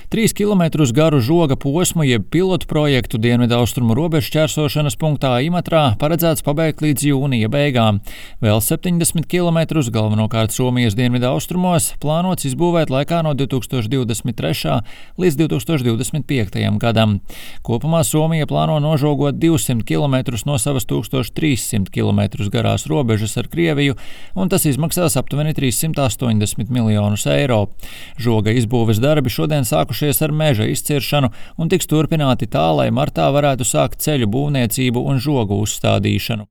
3 kilometrus garu žoga posmu jeb pilotu projektu dienvidaustrumu robežu šķērsošanas punktā Imatrā paredzēts pabeigt līdz jūnija beigām. Vēl 70 kilometrus, galvenokārt Somijas dienvidaustrumos, plānots izbūvēt laikā no 2023. līdz 2025. gadam. Kopumā Somija plāno nožogot 200 kilometrus no savas 1300 kilometrus garās robežas ar Krieviju, un tas izmaksās aptuveni 380 miljonus eiro. Žoga izbūves darbi šodien sākušies ar meža izciršanu un tiks turpināti tā, lai martā varētu sākt ceļu būvniecību un žogu uzstādīšanu.